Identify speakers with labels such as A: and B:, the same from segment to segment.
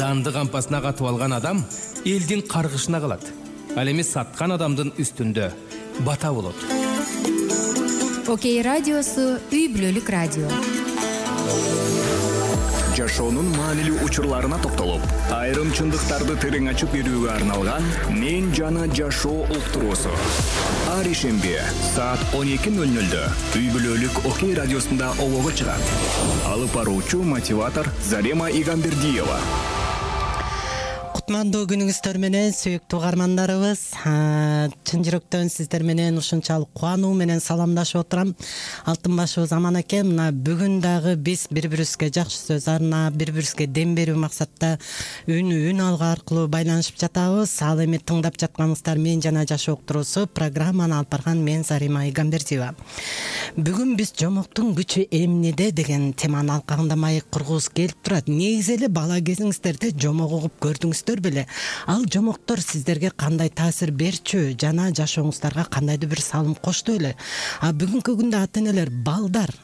A: данды кампасына катып алган адам элдин каргышына калат. Ал эми саткан адамдын үстүндө бата болот.
B: Окей радиосу үй бүлөлүк радио.
C: Жашоонун маанилүү учурларына токтолуп, айрым чындыктарды терең ачып берүүгө арналган Мен жана жашоо уктуруусу. Ар ишемби саат 12:00 үй бүлөлүк Окей радиосунда олого чыгат. Алып баруучу мотиватор Зарема Игамбердиева.
D: Кутмандуу күнүңүздөр менен сүйүктүү угармандарыбыз. Чын жүрөктөн сиздер менен ушунчалык кубануу менен саламдашып отурам. Алтынбашыбыз аман экен. Мына бүгүн дагы биз бири-бирибизге жакшы сөз арнап, бири-бирибизге дем берүү максатта үн алга аркылуу байланышып жатабыз. Ал эми тыңдап жатканыңыздар Мен жана жашоо уктуруусу программаны алып барган мен Зарема Игамбердиева. Бүгүн биз жомоктун күчү эмнеде деген теманын алкагында маек кургубуз келип турат. Негизи эле бала кезиңиздерде жомок угуп көрдүңүздөр беле? Ал жомоктор сиздерге кандай таасир берчү жана жашооңуздарга кандайдыр бир салым кошту беле? Бүгүнкү күндө ата-энелер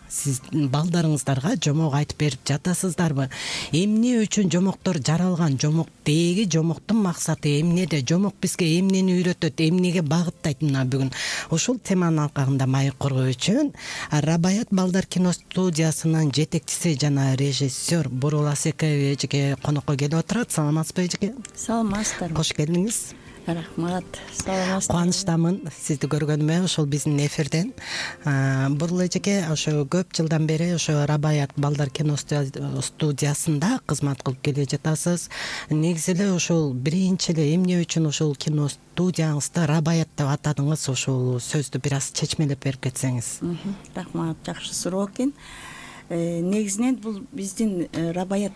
D: сиз балдарыңыздарга жомок айтып берип жатасыздарбы? Эмне үчүн жомоктор жаралган? Жомоктеги жомоктун максаты эмнеде? Жомок бизге эмнени үйрөтөт? Эмнеге багыттайт? Мына бүгүн ушул теманын алкагында маек куруу үчүн Рабаят балдар киностудиясынын жетекчиси жана режиссер Бурул Асекеева эжеке конокко келип отурат. Саламатсызбы эжеке?
E: Саламатсыздарбы.
D: Кош келдиңиз.
E: Рахмат. Саламатсыздар.
D: Кубанычтамын сизди көргөнүмө ошол биздин эфирден. Бурул эжеке ошо көп жылдан бери ошо Рабаят балдар киностудиясында кызмат кылып келе жатасыз. Негизи эле ошол биринчи эле эмне үчүн ошол киностудияңызды Рабаят деп атадыңыз? Ошол сөздү бир аз чечмелеп берип кетсеңиз.
E: Рахмат, жакшы суроо экен. Негизинен бул биздин Рабаят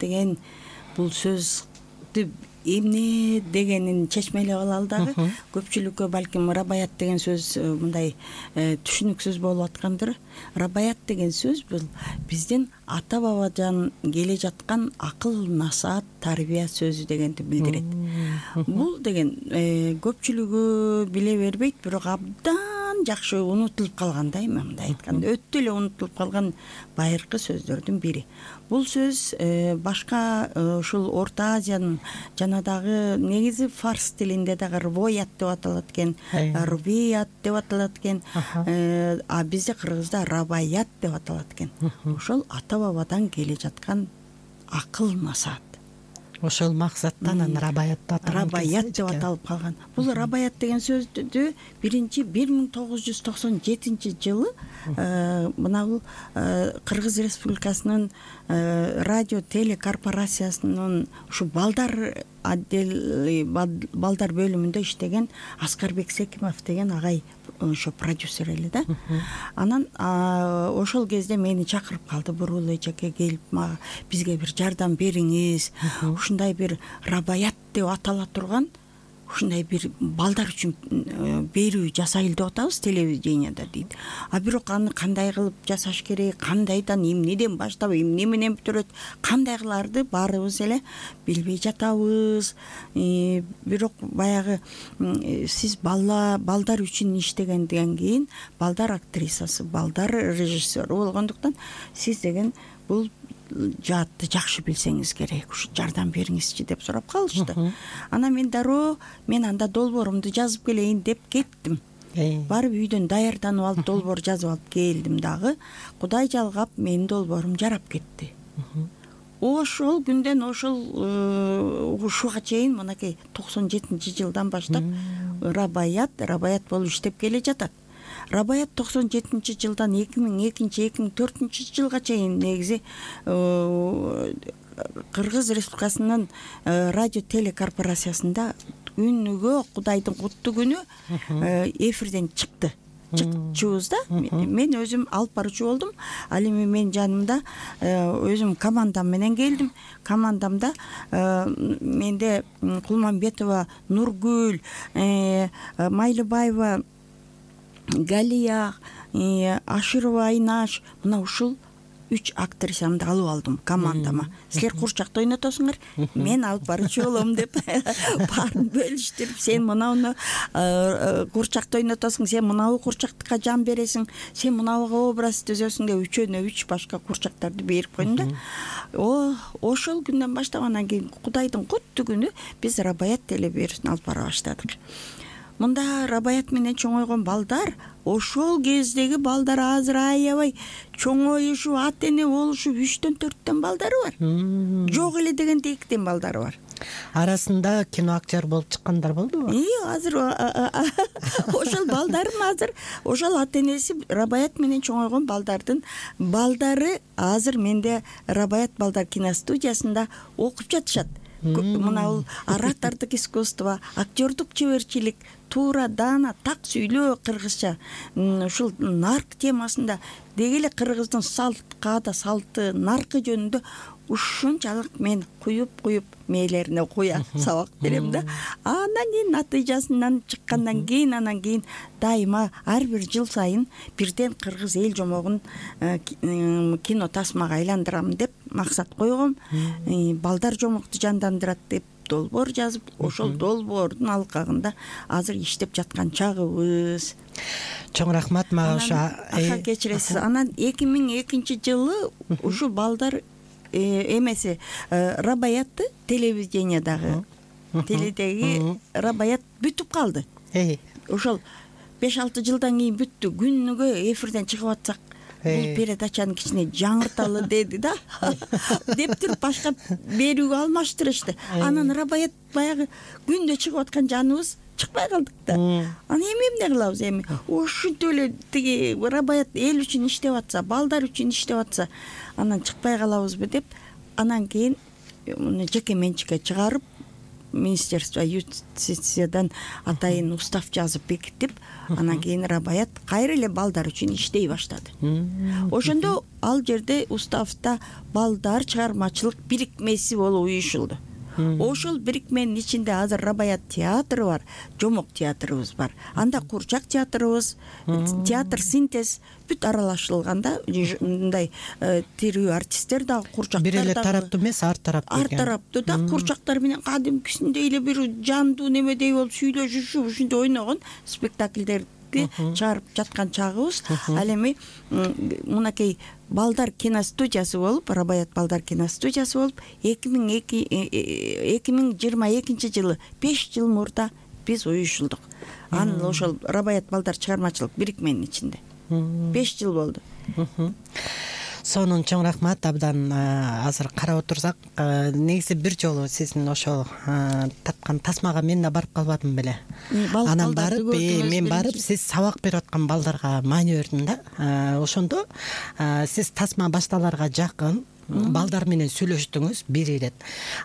E: деген бул сөздү эмне дегенин чечмелеп алалы дагы. Көпчүлүккө балким Рабаят деген сөз мындай түшүнүксүз болуп аткандыр. Рабаят деген сөз бул биздин ата бабадан келе жаткан акыл, насаат, тарбия сөзү дегенди билдирет. Бул деген көпчүлүгү биле бербейт, бирок абдан жакшы унутулуп калган да, эми мындай айтканда өтө эле унутулуп калган байыркы сөздөрдүн бири. Бул сөз башка ушул Орто Азиянын жана дагы негизи фарс тилинде дагы рвоят деп аталат экен, рубият деп аталат экен, а бизде кыргызда рабаят деп аталат экен. Ошол ата бабадан келе жаткан акыл, насаат.
D: Ошол максаттан Рабаят
E: деп аталып калган. Бул Рабаят деген сөздү биринчи 1997 жылы мына бул Кыргыз Республикасынын радио телекорпорациясынын ушу балдар балдар бөлүмүндө иштеген Аскарбек Секимов деген агай ошо продюсер эле да. Анан ошол кезде мени чакырып калды. Бурул эжеке келип бизге бир жардам бериңиз. Ушундай бир Рабаят деп атала турган ушундай бир балдар үчүн берүү жасайлы деп атабыз телевиденияда дейт. Бирок аны кандай кылып жасаш керек, кандайдан, эмнеден баштап, эмне менен бүтүрөт, кандай кыларды баарыбыз эле билбей жатабыз. Бирок баягы сиз балдар үчүн иштегенден кийин балдар актрисасы, балдар режиссеру болгондуктан сиз деген бул жаатты жакшы билсеңиз керек, ушу жардам бериңизчи деп сурап калышты. Анан мен дароо анда долбоорумду жазып келейин деп кеттим. Барып үйдөн даярданып алып долбоор жазып алып келдим дагы. Кудай жалгап менин долбоорум жарап кетти. Ошол күндөн ушуга чейин мынакей 97-жылдан баштап Рабаят болуп иштеп келе жатат. Рабаят 97-жылдан 2002-2004 жылга чейин негизи Кыргыз Республикасынын радио телекорпорациясында күнүгө Кудайдын куттуу күнү эфирден чыкчубуз да. Мен өзүм алып баруучу болдум. Ал эми мен жанымда өзүм командам менен келдим. Командамда менде Кулманбетова, Нургүл, Майлыбаева, Галия, Аширова Айнаш, мына ушул 3 актрисамды алып алдым командама. Силер курчакта ойнотосуңар, мен алып барчу болом деп баарын бөлүштүрүп, сен мынауну курчакта ойнотосуң, сен мынау курчактыкка жан бересиң, сен мынауга образ түзөсүң деп үчөөнө 3 башка курчактарды берип койдум да. Ошол күндөн баштап анан кийин Кудайдын куттуу күнү биз Рабаят телеберүүсүн алып бара баштадык. Мында Рабаят менен чоңойгон балдар, ошол кездеги балдар азыр аябай чоңоюшуп, ата эне болушуп 3төн 4төн балдары бар. Жок эле дегенде 2тен балдары бар.
D: Арасында кино актер болуп чыккандар болдубу?
E: Азыр ошол балдарым азыр ошол ата энеси Рабаят менен чоңойгон балдардын балдары азыр менде Рабаят балдар киностудиясында окуп жатышат. Мына оратордук искусство, актёрдук чеберчилик, туура, даана, так сүйлөө кыргызча, ушул нарк темасында деги эле кыргыздын салт, каада салты, наркы жөнүндө ушунчалык мен куюп мээлерине куя сабак берем да. Анан кийин натыйжасынан чыккандан кийин анан кийин дайыма ар бир жыл сайын бирден кыргыз эл жомогун кино тасмага айландырам деп максат койгом. Балдар жомокту жандандырат деп долбоор жазып, ошол долбоордун алкагында азыр иштеп жаткан чагыбыз.
D: Чоң рахмат мага ошо.
E: Кечиресиз. Анан 2002-жылы ушул балдар эмеси Рабаятты телевидениядагы теледеги Рабаят бүтүп калды. Ошол 5-6 жылдан кийин бүттү. Күнүгө эфирден чыгып атсак, бул передачаны кичине жаңырталы деди да деп туруп башка берүүгө алмаштырышты. Анан Рабаят баягы күндө чыгып аткан жаныбыз чыкпай калдык да. Анан эмне кылабыз эми? Ушинтип эле тиги Рабаят эл үчүн иштеп атса, балдар үчүн иштеп атса, анан чыкпай калабызбы деп, анан кийин муну жеке менчикке чыгарып, Министерство юстициядан атайын устав жазып бекитип, анан кийин Рабаят кайра эле балдар үчүн иштей баштады. Ошондо ал жерде уставда балдар чыгармачылык бирикмеси болуп уюшулду. Ошол бирикменин ичинде азыр Рабаят театры бар, жомок театрыбыз бар. Анда курчак театрыбыз, театр синтез бүт аралашылганда, мындай тирүү артисттер да, курчактар да.
D: Бир эле тараптуу эмес, ар тараптуу.
E: Ар тараптуу да, курчактар менен кадимкисиндей эле бир жандуу немедей болуп сүйлөшүшүп, ушинтип ойногон спектакльдерди чыгарып жаткан чагыбыз. Ал эми мынакей балдар киностудиясы болуп, Рабаят балдар киностудиясы болуп, 2022 жылы 5 жыл мурда биз уюшулдук. Анын ошол Рабаят балдар чыгармачылык бирикменин ичинде 5 жыл болду.
D: Сонун чоң рахмат. Абдан азыр карап отурсак, негизи бир жолу сиздин ошол тарткан тасмага мен да барып калбадым беле. Анан барып, мен барып, сиз сабак берип аткан балдарга маани бердим да. Ошондо сиз тасма башталарга жакын балдар менен сүйлөштүңүз бир ирет.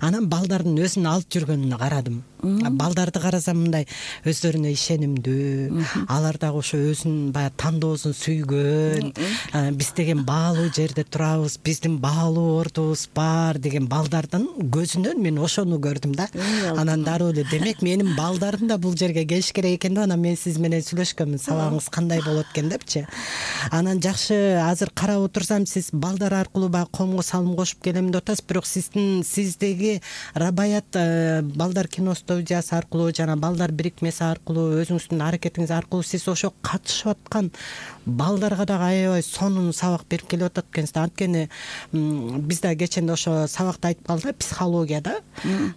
D: Анан балдардын өзүн алып жүргөнүнө карадым. Балдарды карасам мындай өздөрүнө ишенимдүү, алар дагы ошо өзүнүн баягы тандоосун сүйгөн, биз деген баалуу жерде турабыз, биздин баалуу ордубуз бар деген балдардын көзүнөн мен ошону көрдүм да. Анан дароо эле демек менин балдарым да бул жерге келиш керек экен да. Анан мен сиз менен сүйлөшкөнмүн, сабагыңыз кандай болот экен депчи. Анан жакшы, азыр карап отурсам сиз балдар аркылуу баягы коомго салым кошуп келем деп атасыз, бирок сиздеги Рабаят балдар киностудиясы аркылуу жана балдар бирикмеси аркылуу, өзүңүздүн аракетиңиз аркылуу сиз ошо катышып аткан балдарга дагы аябай сонун сабак берип келип атат экенсиз. Анткени биз да кечинде ошо сабакта айтып калдык, психологияда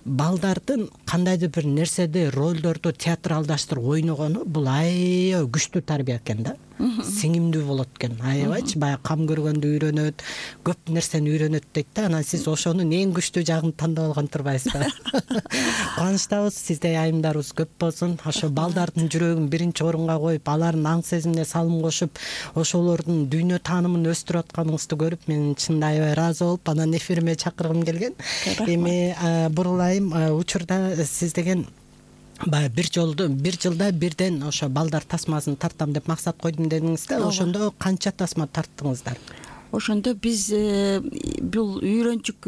D: балдардын кандайдыр бир нерседе ролдорду театралдаштырып ойногону бул аябай күчтүү тарбия экен да. Сиңимдүү болот экен, аябайчы, баягы кам көргөндө үйрөнөт, көп нерсени үйрөнөт дейт да. Анан сиз ошонун эң күчтүү жагын тандап алган турбайсызбы? Кубанычтабыз, сизде айымдарыбыз көп болсун. Ошо балдардын жүрөгүн биринчи орунга коюп, алардын аң сезимине салым кошуп, ошолордун дүйнө таанымын өстүрүп атканыңызды көрүп, мен чынында аябай ыраазы болуп, анан эфириме чакыргым келген. Эми бурулайым, учурда сиз деген баягы бир жылда бирден ошо балдар тасмасын тартам деп максат койдум дедиңиз да. Ошондо канча тасма тарттыңыздар?
E: Ошондо биз бул үйрөнчүк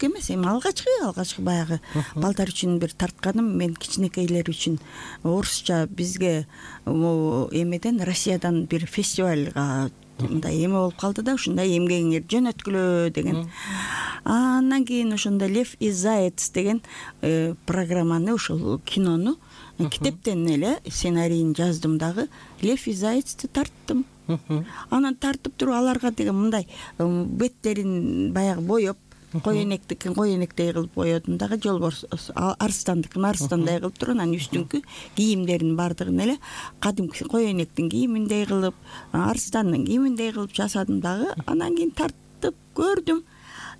E: эмес, эми алгачкы баягы балдар үчүн бир тартканым, мен кичинекейлер үчүн орусча бизге эмеден Россиядан бир фестивалга мындай эме болуп калды да, ушундай эмгегиңер жөнөткүлө деген. Андан кийин ошондо Лев и Заяц деген программаны, ушул кинону китептен эле сценарийин жаздым дагы. Лев и Заяцты тарттым. Анан тартып туруп аларга деген мындай беттерин баягы боеп, коенектикин коенектей кылып боедум дагы, жолборс арстандыкын арстандай кылып туруп, анан үстүңкү кийимдерин баардыгын эле кадимки коенектин кийиминдей кылып, арстандын кийиминдей кылып жасадым дагы. Анан кийин тартып көрдүм.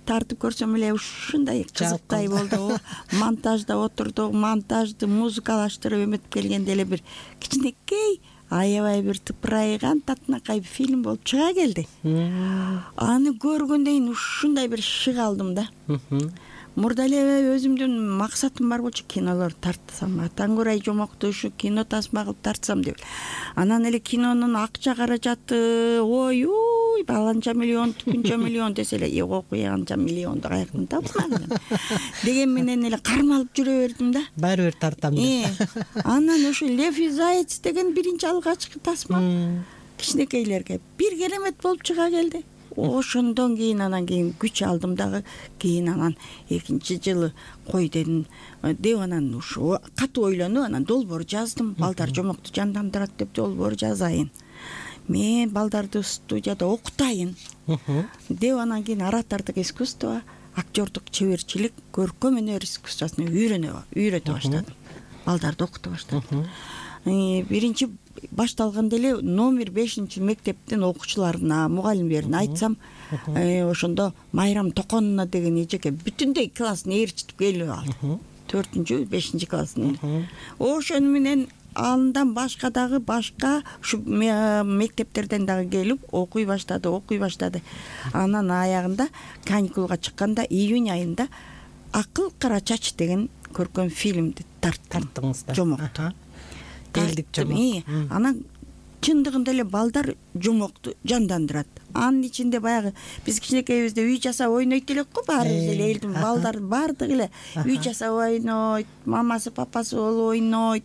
E: Тартып көрсөм эле ушундай кызыктай болду. Монтажда отурдук, монтажды музыкалаштырып эметип келгенде эле бир кичинекей, аябай бир тыпырайган татынакай фильм болуп чыга келди. Аны көргөндөн кийин ушундай бир шык алдым да. Мурда эле өзүмдүн максатым бар болчу, кинолор тартсам, Атаңгүрай Жомокту ушу кино тасма кылып тартсам деп. Анан эле кинонун акча каражаты, ой, баланча миллион, түкүнчө миллион десе эле, окуй анча миллионду каяктан таптым деген менен эле кармалып жүрө бердим да.
D: Баары бир тартам деп.
E: Анан ушу Лев и Заяц деген биринчи алгачкы тасма кичинекейлерге бир керемет болуп чыга келди. Ошондон кийин анан кийин күч алдым дагы. Кийин анан экинчи жылы кой дедим деп анан ушу катуу ойлонуп анан долбоор жаздым. Балдар Жомокту жандандырат деп долбоор жазайын. Мен балдарды студияда окутайын деп анан кийин оратордук искусство, актёрдук чеберчилик, көркөм өнөр искусствосун үйрөтө баштадым. Балдарды окута баштадым. Биринчи башталганда эле номер 5 мектептин окуучуларына, мугалимдерине айтсам, ошондо Майрам Токонуна деген эжеке бүтүндөй классын ээрчитип келип алды. 4-5 классын. Ошону менен андан башка дагы ушу мектептерден дагы келип окуй баштады. Анан аягында каникулга чыкканда июнь айында Акыл Кара Чач деген көркөм фильмди тарттыңыздар. Жомокту. Элдик Жомок. Анан чындыгында эле балдар Жомокту жандандырат. Анын ичинде баягы биз кичинекейбизде үй жасап ойнойт элек го, баарыбыз эле элдин балдары баардыгы эле үй жасап ойнойт, мамасы папасы болуп ойнойт.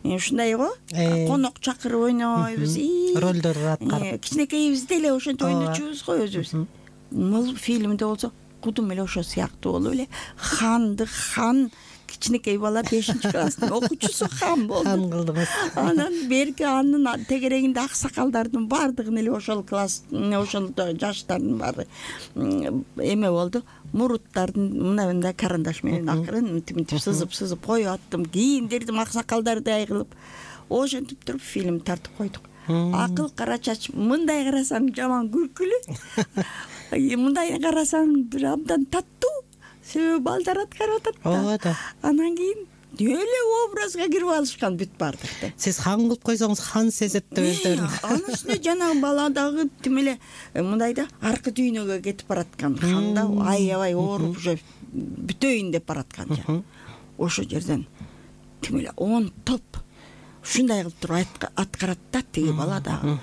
E: Ушундай го, конок чакырып ойнойбуз.
D: Ролдор аткарып.
E: Кичинекейбизде эле ошентип ойночубуз го өзүбүз. Бул фильмде болсо кудум эле ошо сыяктуу болуп эле хан кичинекей бала 5-класстын окуучусу хан болду.
D: Хан кылдыңыз.
E: Анан берки анын тегерегинде аксакалдардын баардыгын эле ошол класс, ошол жаштардын баары эме болду. Муруттардын мындай карандаш менен акырын мынтип сызып коюп аттым, кийиндирдим аксакалдардай кылып. Ошентип туруп фильм тартып койдук. Акыл Кара Чач мындай карасаң жаман күлкүлүү. Мындай карасаң бир абдан таттуу. Себеби балдар аткарып атат. Анан кийин эле образга кирип алышкан бүт баардык.
D: Сиз хан кылып койсоңуз хан сезет да өздөрүн.
E: Анын үстүнө жанагы бала дагы тим эле мындай да аркы дүйнөгө кетип бараткан. Хан да аябай ооруп уже бүтөйүн деп бараткан. Ошол жерден тим эле 10 топ ушундай кылып туруп аткарат да тиги бала дагы.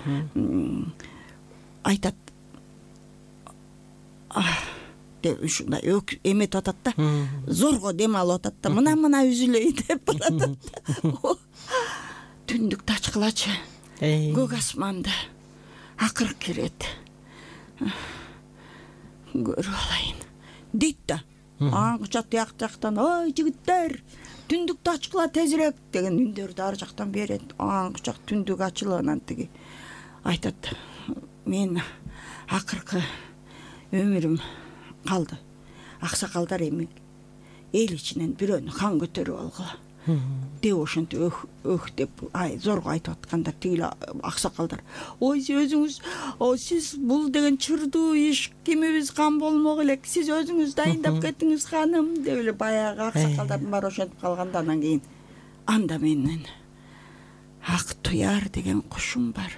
E: Айтат. Ушундай эметип атат да, зорго дем алып атат да, мына үзүлөй деп баратат. Түндүк тачкылачы, көк асманды акырып кирет. Көрүп алайын дейт да. Аңча тияк жактан, ой жигиттер, түндүк тачкыла тезирээк деген үндөрдү ар жактан берет. Аңча түндүк ачылып анан тиги айтат. Мен акыркы өмүрүм калды. Аксакалдар эми эл ичинен бирөөнү хан көтөрүп алгыла деп ошентип деп зорго айтып атканда тигил аксакалдар, ой сиз бул деген чырдуу иш, кимибиз хан болмок элек, сиз өзүңүз дайындап кетиңиз ханым деп эле баягы аксакалдардын баары ошентип калганда, анан кийин анда менен Ак Туяр деген кушум бар.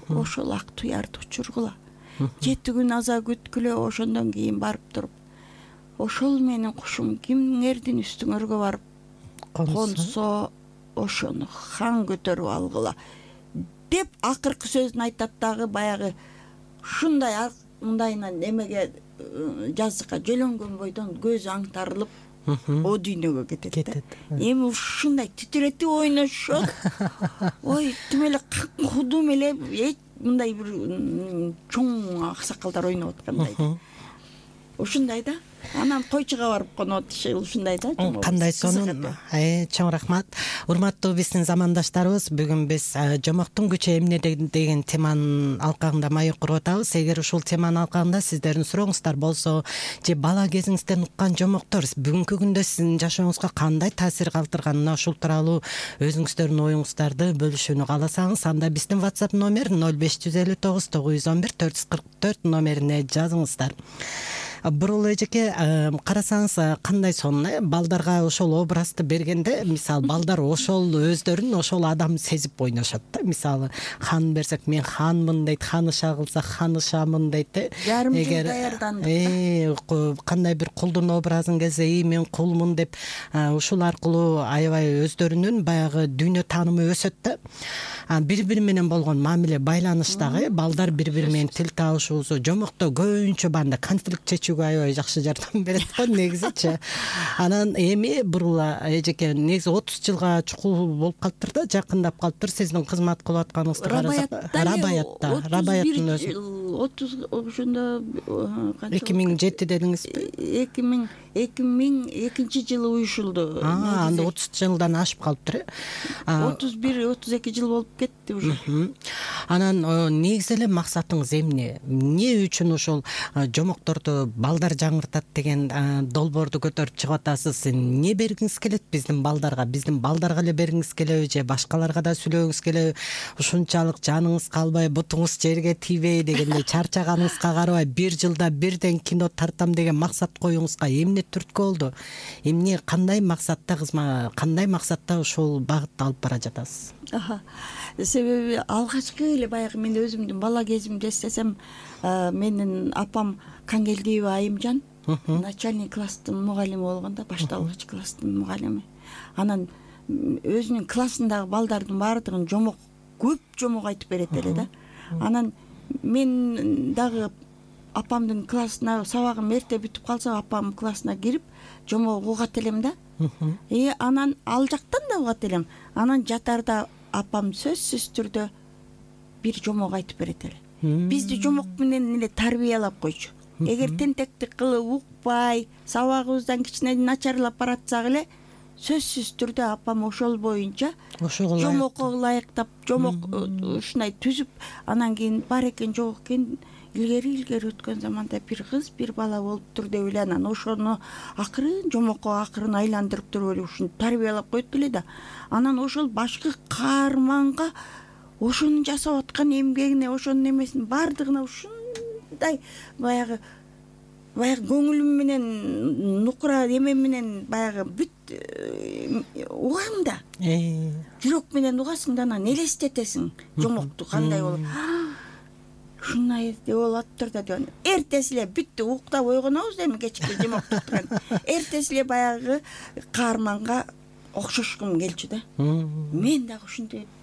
E: Ошол Ак Туярды учургула. 7 күн аза күткүлө, ошондон кийин барып туруп, ошол менин кушум кимдердин үстүңөргө барып консо, ошону хан көтөрүп алгыла деп акыркы сөзүн айтат дагы. Баягы ушундай мындайынан эмеге жазыкка жөлөнгөн бойдон көзү аңтарылып о дүйнөгө кетет. Эми ушундай титиретип ойношот. Ой, тим эле кудум эле мындай бир чоң аксакалдар ойноп аткандай ушундай да. Анан койчуга барып конот ушундай да.
D: Кандай сонун. Чоң рахмат. Урматтуу биздин замандаштарыбыз, бүгүн биз жомоктун күчү эмне деген теманын алкагында маек куруп атабыз. Эгер ушул теманын алкагында сиздердин сурооңуздар болсо же бала кезиңизден уккан жомоктор бүгүнкү күндө сиздин жашооңузга кандай таасир калтырганына ушул тууралуу өзүңүздөрдүн оюңуздарды бөлүшүүнү кааласаңыз, анда биздин WhatsApp номер 0559 911 444 номерине жазыңыздар. Бурул эжеке, карасаңыз кандай сонун, балдарга ошол образды бергенде, мисалы балдар ошол өздөрүн ошол адам сезип ойношот да. Мисалы хан берсек, мен ханмын дейт, ханыша кылсак ханышамын дейт.
E: Жарым жыл даярдандык.
D: Кандай бир кулдун образын келсе, мен кулмун деп, ушул аркылуу аябай өздөрүнүн баягы дүйнө таанымы өсөт да. Бири-бири менен болгон мамиле, байланыш дагы, балдар бири-бири менен тил табышуусу, жомокто көбүнчө банда конфликт чечүүгө аябай жакшы жардам берет го негизичи. Анан эми бурула эжеке, негизи 30 жылга чукул болуп калыптыр да, жакындап калыптыр сиздин кызмат кылып атканыңызды карасак. Рабаяттын өзү
E: 30 ошондо
D: 2007 дедиңизби?
E: 2002 жылы уюшулду.
D: Анда 30 жылдан ашып калыптыр.
E: 31-32 жыл болуп кетти уже.
D: Анан негизи эле максатыңыз эмне? Эмне үчүн ошол жомокторду балдар жаңыртат деген долбоорду көтөрүп чыгып атасыз? Эмне бергиңиз келет биздин балдарга эле бергиңиз келеби же башкаларга да сүйлөгүңүз келеби? Ушунчалык жаныңыз калбай, бутуңуз жерге тийбей дегенде чарчаганыңызга карабай, бир жылда бирден кино тартам деген максат коюңузга эмне түрткү болду? Эмне, кандай максатта ушул багытты алып бара жатасыз?
E: Себеби алгачкы эле баягы мен өзүмдүн бала кезимди эстесем, менин апам Кангелдиева Айымжан начальник класстын мугалими болгондо, башталгыч класстын мугалими. Анан өзүнүн классындагы балдардын баардыгын көп жомок айтып берет эле да. Анан мен дагы апамдын классына сабагым эрте бүтүп калса, апамдын классына кирип жомок угат элем да. Анан ал жактан да угат элем. Анан жатарда апам сөзсүз түрдө бир жомок айтып берет эле. Бизди жомок менен эле тарбиялап койчу. Эгер тентектик кылып укпай, сабагыбыздан кичине начарлап баратсак эле, сөзсүз түрдө апам ошол боюнча жомокко ылайыктап, жомок ушундай түзүп, анан кийин бар экен жок экен, илгери өткөн заманда бир кыз, бир бала болуптур деп эле, анан ошону акырын жомокко акырын айландырып туруп эле ушуну тарбиялап койт эле да. Анан ошол башкы каарманга ошонун жасап аткан эмгегине, ошонун эмесин баардыгына ушундай баягы көңүлүм менен, нукура эмем менен баягы бүт угам да. Жүрөк менен угасың да, анан элестетесиң жомокту кандай болуп. Ушундай болуп атыптыр да деп. Эртеси эле бүттү, уктап ойгонобуз эми кечки жомокту туткан. Эртеси эле баягы каарманга окшошкум келчү да. Мен дагы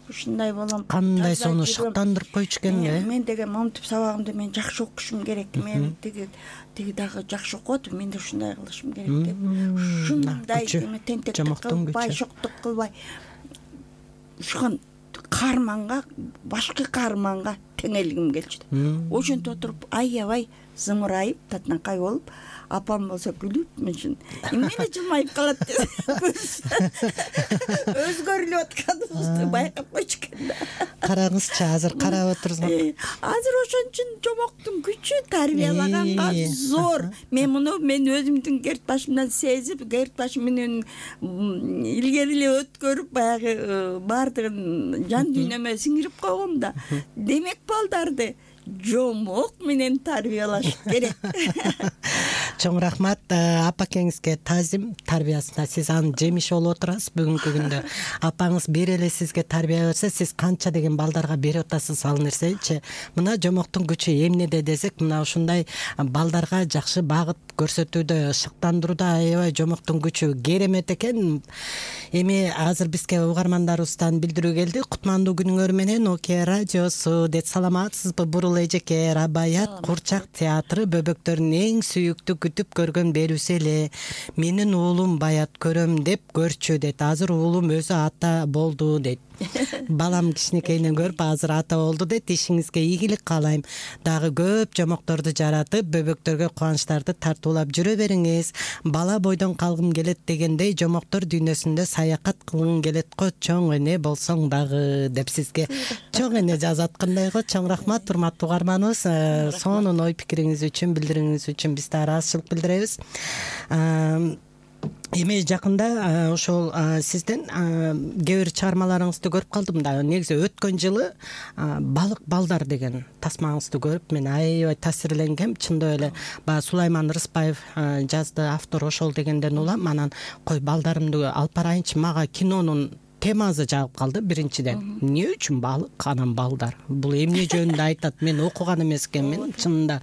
E: ушундай болом.
D: Кандай сону шыктандырып койчу экен э?
E: Мен деген момтуп сабагымды мен жакшы окушум керек. Мен тиги дагы жакшы окуп, мен да ушундай кылышым керек деп. Ушундай тентектик кылбай, шоктук кылбай, ушуган каарманга, башкы каарманга теңелгим келчү. Ошентип отуруп аябай зымырайып, татынакай болуп, апам болсо күлүп, мен үчүн эмне жылмайып калат деп өзгөрүлүп атканыбызды байкап койчу экен да.
D: Караңызчы, азыр карап отурсуңар.
E: Азыр ошон үчүн жомоктун күчү тарбиялаганга зор. Мен өзүмдүн керт башымдан сезип, керт башым менен илгери эле өткөрүп, баягы баардыгын жан дүйнөмө сиңирип койгом да. Демек балдарды жомок менен тарбиялаш керек.
D: Чоң рахмат апакеңизге, таазим тарбиясына. Сиз анын жемиши болуп отурасыз бүгүнкү күндө. Апаңыз бир эле сизге тарбия берсе, сиз канча деген балдарга берип атасыз ал нерсечи. Мына жомоктун күчү эмнеде десек, мына ушундай балдарга жакшы багыт көрсөтүүдө, шыктандырууда аябай жомоктун күчү керемет экен. Эми азыр бизге угармандарыбыздан билдирүү келди. Кутмандуу күнүңөр менен Оке радиосу деп саламатсызбы? Бурул эжеке, Рабаят Курчак театры бөбөктөрдүн эң сүйүктүү күтүп көргөн берүүсү эле. Менин уулум Баят көрөм деп көрчү дейт. Азыр уулум өзү ата болду дейт. балам кичинекейинен көрүп азыр ата болду дейт. Ишиңизге ийгилик каалайм. Дагы көп жомокторду жаратып, бөбөктөргө кубанычтарды тартуулап жүрө бериңиз. Бала бойдон калгым келет дегендей жомоктор дүйнөсүндө саякат кылгым келет го, чоң эне болсоң дагы деп сизге чоң эне жазаткандай го. Чоң рахмат урматтуу угарманыбыз. Сонун ой пикириңиз үчүн, билдирүүңүз үчүн биз да ыраазычылык билдиребиз. Эми жакында ошол сиздин кээ бир чыгармаларыңызды көрүп калдым да. Негизи өткөн жылы балык балдар деген тасмаңызды көрүп мен аябай таасирленгем. Чындап эле баягы Сулайман Рыспаев жазды, автор ошол дегенден улам. Анан кой балдарымды алып барайынчы, мага кинонун темасы жагып калды. Биринчиден, эмне үчүн балык, анан балдар? Бул эмне жөнүндө айтат? Мен окуган эмес экенмин. Чынында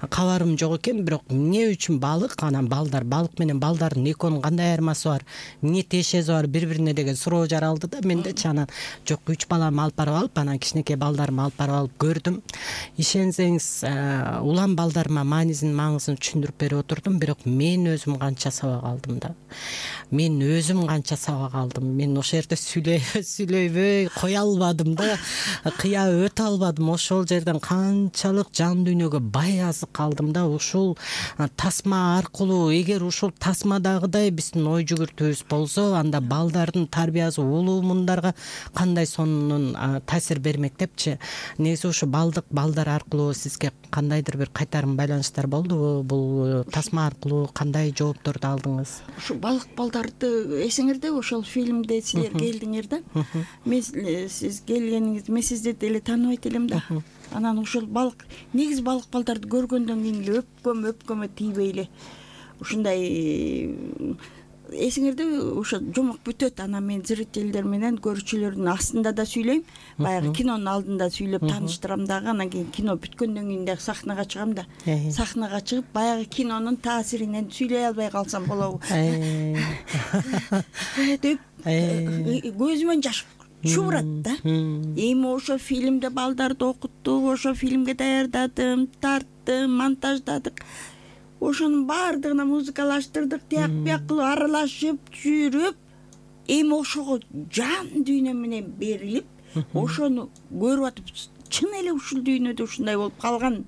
D: кабарым жок экен, бирок эмне үчүн балык, анан балдар? Балык менен балдардын экөөнүн кандай айырмасы бар? Эмне тиешеси бар бири-бирине деген суроо жаралды да мендечи. Анан жок, 3 баламды алып барып алып, анан кичинекей балдарымды алып барып алып көрдүм. Ишенсеңиз, улам балдарыма маанисин, маңызын түшүндүрүп берип отурдум, бирок мен өзүм канча сабак алдым да. Мен ошол жерде сүйлөйбөй кое албадым да, кыя өтө албадым. Ошол жерден канчалык жан дүйнөгө бай азык калдым да. Ушул тасма аркылуу, эгер ушул тасмадагыдай биздин ой жүгүртүүбүз болсо, анда балдардын тарбиясы улуумундарга кандай сонун таасир бермек депчи. Негизи ушу балдар аркылуу сизге кандайдыр бир кайтарым байланыштар болдубу? Бул тасма аркылуу кандай жоопторду алдыңыз?
E: Ушу балык балдарды эсиңердеби? Ошол фильмде силер келдиңер да. Мен сиз келгениңизди, мен сизди деле тааныбайт элем да. Анан ошол балык, негизи балык балдарды көргөндөн кийин эле өпкөмө тийбей эле ушундай эсиңердеби? Ошо жомок бүтөт. Анан мен зрительдер менен көрүүчүлөрдүн астында да сүйлөйм, баягы кинонун алдында сүйлөп тааныштырам дагы. Анан кийин кино бүткөндөн кийин дагы сахнага чыгам да. Сахнага чыгып баягы кинонун таасиринен сүйлөй албай калсам болобу деп көзүмөн жаш чуурат да. Эми ошо фильмде балдарды окуттук, ошо фильмге даярдадым, тарттым, монтаждадык. Ошонун баардыгына музыкалаштырдык, тияк бияк кылып аралашып жүрүп, эми ошого жан дүйнө менен берилип, ошону көрүп атып, чын эле ушул дүйнөдө ушундай болуп калган.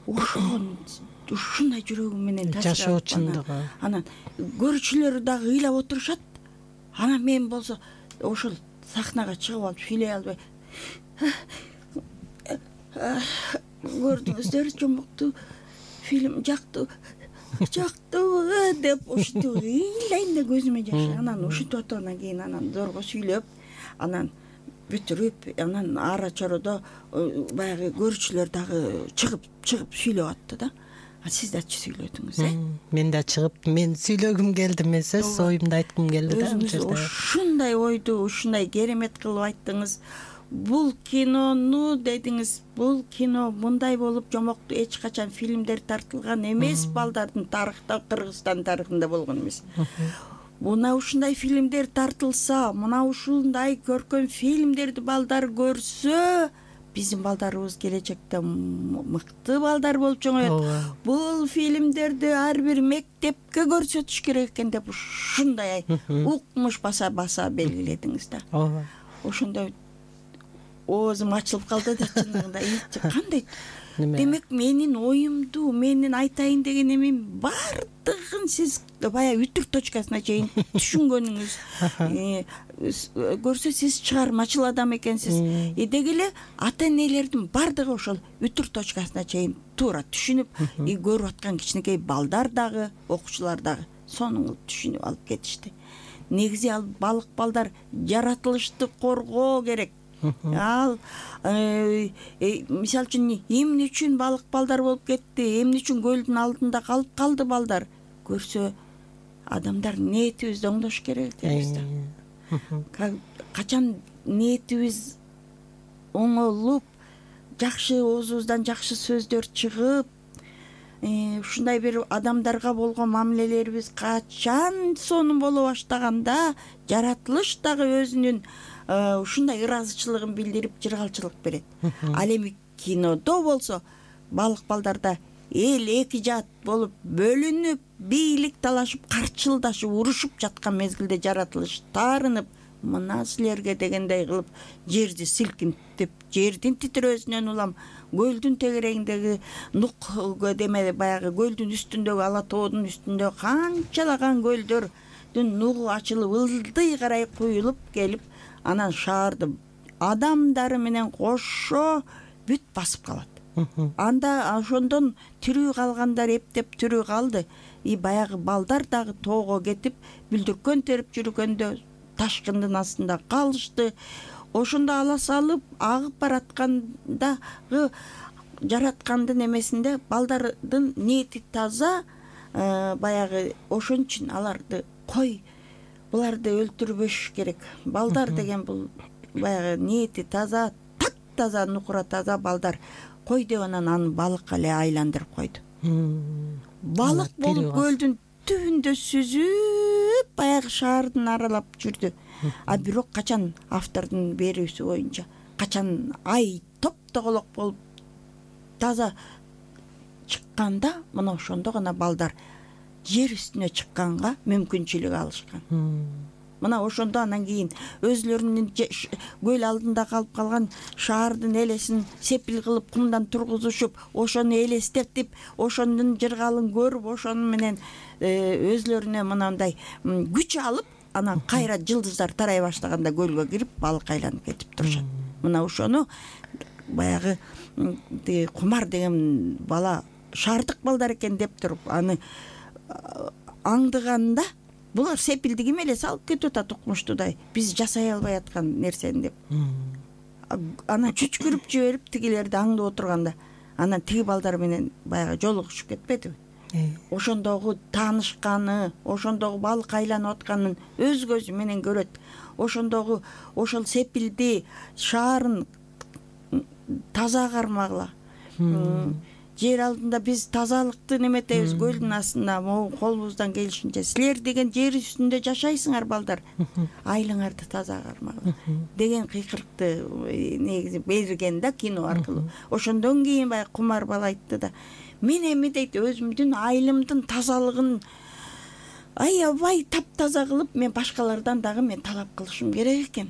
E: Ушундай жүрөгүм менен
D: жашоо чындыгы.
E: Анан көрүүчүлөр дагы ыйлап отурушат. Анан мен болсо ошол сахнага чыгып алып сүйлөй албай көрдүңүздөр, жомокту фильм жактыбы деп ушинтип ыйлайм да, көзүмө жаш. Анан ушинтип аткандан кийин анан зорго сүйлөп, анан бүтүрүп, анан ара чородо баягы көрүүчүлөр дагы чыгып сүйлөп атты да. Сиз дачы сүйлөдүңүз,
D: Мен да чыгып, мен сүйлөгүм келди, мен сөз оюмду айткым келди да.
E: Өзүңүз ушундай ойду, ушундай керемет кылып айттыңыз. Бул кинону дедиңиз, бул кино мындай болуп жомокту эч качан фильмдер тартылган эмес, балдардын тарыхта, Кыргызстан тарыхында болгон эмес. Мына ушундай фильмдер тартылса, мына ушундай көркөм фильмдерди балдар көрсө, биздин балдарыбыз келечекте мыкты балдар болуп чоңоет. Бул фильмдерди ар бир мектепке көрсөтүш керек экен деп ушундай укмуш баса белгиледиңиз да. Ошондой оозум ачылып калды да, чындыгында. Кандай? Демек менин оюмду, менин айтайын деген эмем бардыгын сиз баягы үтүк точкасына чейин түшүнгөнүңүз көрсө, сиз чыгармачыл адам экенсиз. Деги эле ата энелердин бардыгы ошол үтүк точкасына чейин туура түшүнүп, көрүп аткан кичинекей балдар дагы, окуучулар дагы сонун түшүнүп алып кетишти. Негизи ал балык балдар жаратылышты коргоо керек. Ал мисалы үчүн эмне үчүн балык балдар болуп кетти, эмне үчүн көлдүн алдында калып калды балдар көрсө, адамдар ниетибизди оңдош керек дейбиз да. Качан ниетибиз оңолуп, жакшы оозубуздан жакшы сөздөр чыгып, ушундай бир адамдарга болгон мамилелерибиз качан сонун боло баштаганда, жаратылыш дагы өзүнүн ушундай ыраазычылыгын билдирип, жыргалчылык берет. Ал эми кинодо болсо, балык балдарда эл эки жаат болуп бөлүнүп, бийлик талашып, карчылдашып, урушуп жаткан мезгилде жаратылыш таарынып, мына силерге дегендей кылып жерди силкинтип, жердин титирөөсүнөн улам көлдүн тегерегиндеги нук деме баягы көлдүн үстүндөгү ала тоодун үстүндө канчалаган көлдөрдүн нугу ачылып ылдый карай куюлуп келип, анан шаарды адамдары менен кошо бүт басып калат. Анда ошондон тирүү калгандар эптеп тирүү калды. Баягы балдар дагы тоого кетип, бүлдүркөн терип жүргөндө ташкындын астында калышты. Ошондо ала салып агып бараткандагы жараткандын эмесинде балдардын ниети таза, баягы ошон үчүн аларды кой буларды өлтүрбөш керек. Балдар деген бул баягы ниети таза, таптаза, нукура таза балдар. Кой деп анан аны балыкка эле айландырып койду. Балык болуп көлдүн түбүндө сүзүп баягы шаардын аралап жүрдү. Бирок качан автордун берүүсү боюнча качан ай топтоголок болуп таза чыкканда, мына ошондо гана балдар жер үстүнө чыкканга мүмкүнчүлүк алышкан. Мына ошондо анан кийин өзлөрүнүн көл алдында калып калган шаардын элесин сепил кылып кумдан тургузушуп, ошону элестетип, ошонун жыргалын көрүп, ошону менен өзлөрүнө мынандай күч алып, анан кайра жылдыздар тарай баштаганда көлгө кирип балык айланып кетип турушат. Мына ошону баягы Кумар деген бала шаардык балдар экен деп туруп, аны аңдыганда булар сепилди ким эле салып кетип атат укмуштуудай, биз жасай албай аткан нерсени деп. Анан чүчкүрүп жиберип тигилерди аңдып отурганда, анан тиги балдар менен баягы жолугушуп кетпедиби? Ошондогу таанышканы, ошондогу балык айланып атканын өз көзү менен көрөт. Ошондогу ошол сепилди, шаарын таза кармагыла. Жер алдында биз тазалыкты неметебиз, көлдүн астында колубуздан келишинче. Силер деген жер үстүндө жашайсыңар балдар, айлыңарды таза кармагыла деген кыйкырыкты негизи берген да кино аркылуу. Ошондон кийин баягы Кумар бала айтты да, мен эми дейт өзүмдүн айылымдын тазалыгын аябай таптаза кылып, мен башкалардан дагы мен талап кылышым керек экен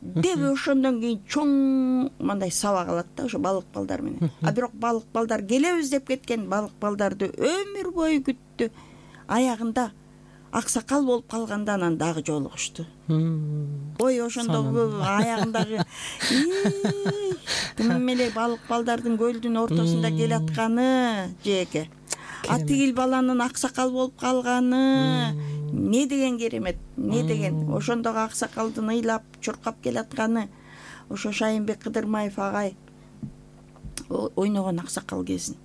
E: деп ошондон кийин чоң мындай сабак алат да ошо балык балдар менен. Бирок балык балдар келебиз деп кеткен, балык балдарды өмүр бою күттү. Аягында аксакал болуп калганда анан дагы жолугушту. Ой, ошондогу аягындагы ким эле балык балдардын көлдүн ортосунда келатканы жеке. Тигил баланын аксакал болуп калганы не деген керемет, не деген. Ошондогу аксакалдын ыйлап чуркап келатканы, ошо Шайынбек Кыдырмаев агай ойногон аксакал кезин.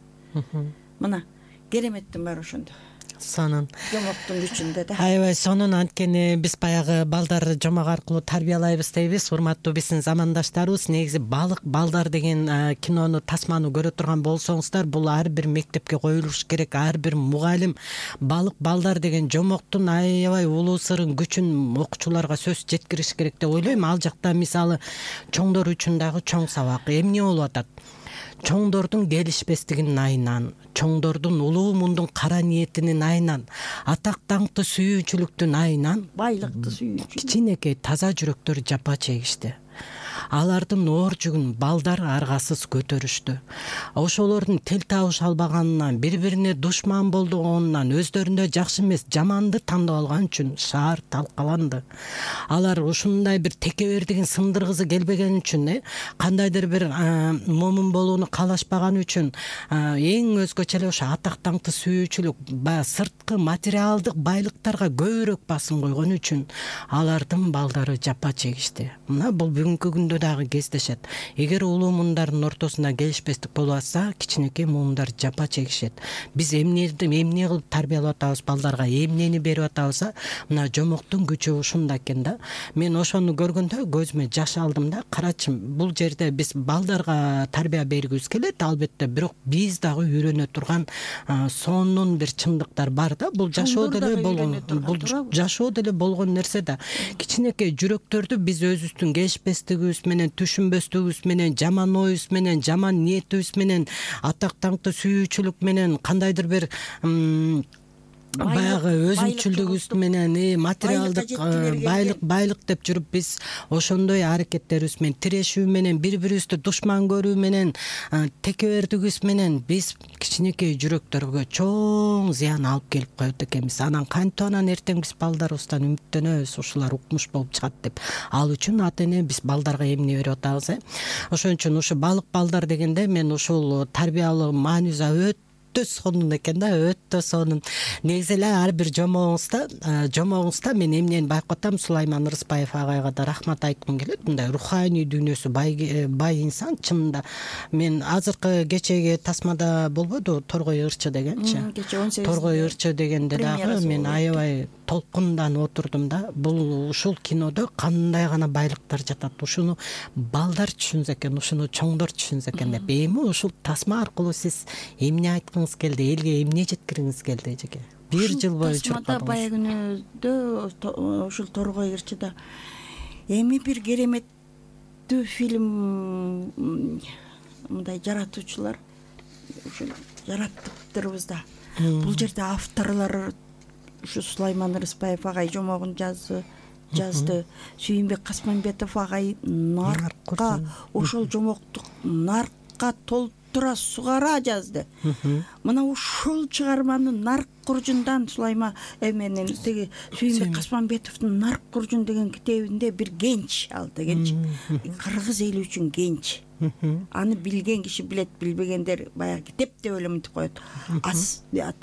E: Мына кереметтин баары ошондо.
D: Сонун.
E: Жомоктун күчүндө да.
D: Аябай сонун. Анткени биз баягы балдар жомок аркылуу тарбиялайбыз дейбиз. Урматтуу биздин замандаштарыбыз, негизи балык балдар деген кинону, тасманы көрө турган болсоңуздар, бул ар бир мектепке коюлуш керек. Ар бир мугалим балык балдар деген жомоктун аябай улуу сырын, күчүн окуучуларга сөз жеткириш керек деп ойлойм. Ал жакта мисалы чоңдор үчүн дагы чоң сабак. Эмне болуп атат? Чоңдордун келишпестигинин айынан, чоңдордун улуу мундун кара ниетинин айынан, атак даңкты сүйүүчүлүктүн айынан
E: байлыкты сүйүүчү
D: кичинекей таза жүрөктөр жапа чегишти. Алардын оор жүгүн балдар аргасыз көтөрүштү. Ошолордун тил табыша албаганынан, бири-бирине душман болгонунан, өздөрүндө жакшы эмес, жаманды тандап алган үчүн шаар талкаланды. Алар ушундай бир текебердигин сындыргысы келбеген үчүн, кандайдыр бир момун болууну каалашпаган үчүн, эң өзгөчө эле ошо атак даңкты сүйүүчүлүк, сырткы материалдык байлыктарга көбүрөөк басым койгон үчүн алардын балдары жапа чегишти. Мына бул бүгүнкү күндө дагы кездешет. Эгер улуу муундардын ортосунда келишпестик болуп атса, кичинекей муундар жапа чегишет. Биз эмне кылып тарбиялап атабыз балдарга, эмнени берип атабыз? Мына жомоктун күчү ушунда экен да. Мен ошону көргөндө көзүмө жаш алдым да. Карачы, бул жерде биз балдарга тарбия бергибиз келет, албетте, бирок биз дагы үйрөнө турган сонун бир чындыктар бар да. Бул жашоодо деле болгон нерсе да. Кичинекей жүрөктөрдү биз өзүбүздүн келишпестигибиз менен, түшүнбөстүгүбүз менен, жаман оюбуз менен, жаман ниетибиз менен, атак даңкты сүйүүчүлүк менен, кандайдыр бир баягы өзүнчүлүгүбүз менен материалдык байлык деп жүрүп биз ошондой аракеттерибиз менен тирешүү менен бири бирибизди душман көрүү менен текебердигибиз менен биз кичинекей жүрөктөргө чоң зыян алып келип коет экенбиз. Анан кантип анан эртең биз балдарыбыздан үмүттөнөбүз ушулар укмуш болуп чыгат деп. Ал үчүн ата эне биз балдарга эмне берип атабыз Ошон үчүн ушу балык балдар дегенде мен ушул тарбиялык мааниза өтө сонун экен да, өтө сонун. Негизи эле ар бир жомогуңузда мен эмнени байкатам, Сулайман Ырысбаев агайга да рахмат айткым келет. Мындай руханий дүйнөсү бай инсан чынында. Мен азыркы кечеги тасмада болбоду Торгой ырчы дегенчи. Торгой ырчы дегенде дагы мен аябай толкунданып отурдум да. Бул ушул кинодо кандай гана байлыктар жатат. Ушуну балдар түшүнсө экен, ушуну чоңдор түшүнсө экен деп. Эми ушул тасма аркылуу сиз эмне айткыңыз келди, элге эмне жеткиргиңиз келди эжеке? Бир жыл бою
E: тасмада баягы күнүдө ушул Торгой ырчыда эми бир кереметтүү фильм мындай жаратуучулар ушул жараттыптырбыз да. Бул жерде авторлор ушу Сулайман Ырысбаев агай жомогун жазды. Сүйүнбек Касманбетов агай наркка ошол жомокту наркка толтура сугара жазды. Мына ушул чыгарманы нарк куржундан Сулайман менен теги Сүйүнбек Касманбетовдун Нарк куржун деген китебинде бир генч ал дегенчи. Кыргыз эли үчүн генч. Аны билген киши билет, билбегендер баягы китеп деп эле мынтип коет.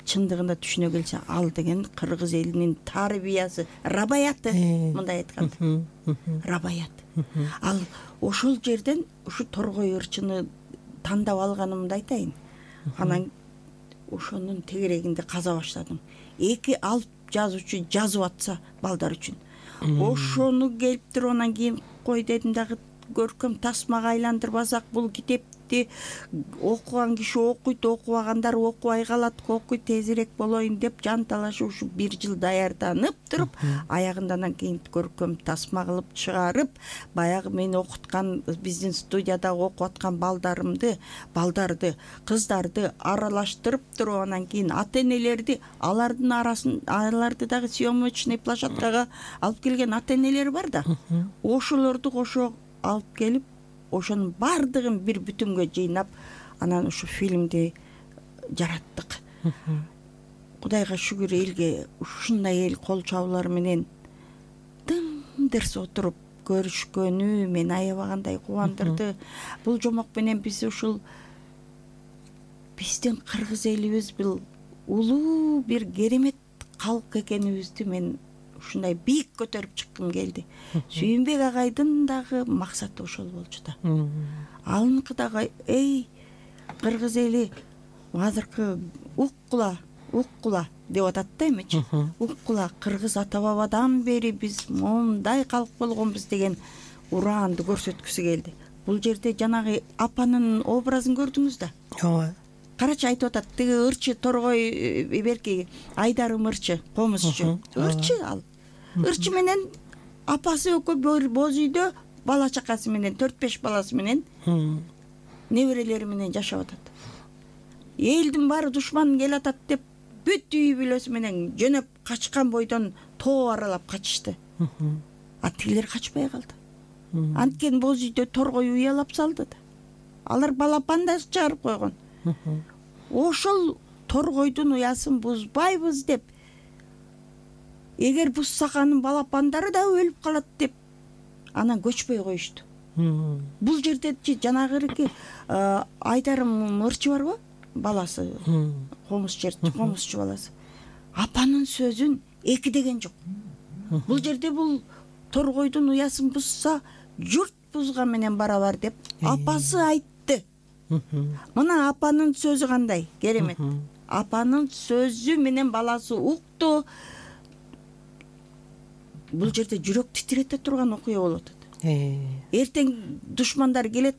E: Чындыгында түшүнө келсе, ал деген кыргыз элинин тарбиясы, рабаяты, мындай айтканда. Рабаят. Ал ошол жерден ушу Торгой ырчыны тандап алганымды айтайын. Анан ошонун тегерегинде каза баштадым. Эки алып жазуучу жазып атса балдар үчүн. Ошону келип туруп анан кийин кой дедим дагы көркөм тасмага айландырбасак бул китепти окуган киши окуйт, окубагандар окубай калат, окуйт тезирээк болоюн деп жан талашып ушу бир жыл даярданып туруп, аягында анан кийин көркөм тасма кылып чыгарып, баягы мени окуткан биздин студияда окуп аткан балдарды, кыздарды аралаштырып туруп, анан кийин ата-энелерди, аларды дагы съемочный площадкага алып келген ата-энелер бар да. Ошолорду кошо алып келип, ошонун бардыгын бир бүтүнгө жыйнап, анан ушу фильмди жараттык. Кудайга шүгүр, элге ушундай эл кол чабуулар менен дым-дырс отуруп көрүшкөнү мени аябагандай кубандырды. Бул жомок менен биз ушул биздин кыргыз элибиз бул улуу бир керемет калк экенибизди мен ушундай бийик көтөрүп чыккым келди. Сүйүнбек агайдын дагы максаты ошол болчу да. Алынкы дагы кыргыз эли азыркы уккула деп атат да эмечи. Уккула кыргыз ата бабадан бери биз мондай калк болгонбуз деген ураанды көрсөткүсү келди. Бул жерде жанагы апанын образын көрдүңүз да.
D: Ооба.
E: Карачы айтып атат, тиги ырчы Торгой берки Айдарым ырчы, комузчу. Ырчы ал. Ырчы менен апасы экөө боз үйдө бала чакасы менен 4-5 баласы менен неберелери менен жашап атат. Элдин баары душман келатат деп бүт үй бүлөсү менен жөнөп качкан бойдон тоо аралап качышты. Тигилер качпай калды. Анткени боз үйдө Торгой уялап салды да. Алар балапан да чыгарып койгон. Ошол Торгойдун уясын бузбайбыз деп, эгер бузсак анын балапандары да өлүп калат деп, анан көчпөй коюшту. Бул жерде жанагырки Айдарым ырчы барбы? Баласы, комузчу баласы. Апанын сөзүн эки деген жок. Бул жерде бул Торгойдун уясын бузса, журт бузган менен барабар деп апасы айтты. Мына апанын сөзү кандай керемет. Апанын сөзү менен баласы укту. Бул жерде жүрөк титирете турган окуя болуп атат. Эртең душмандар келет,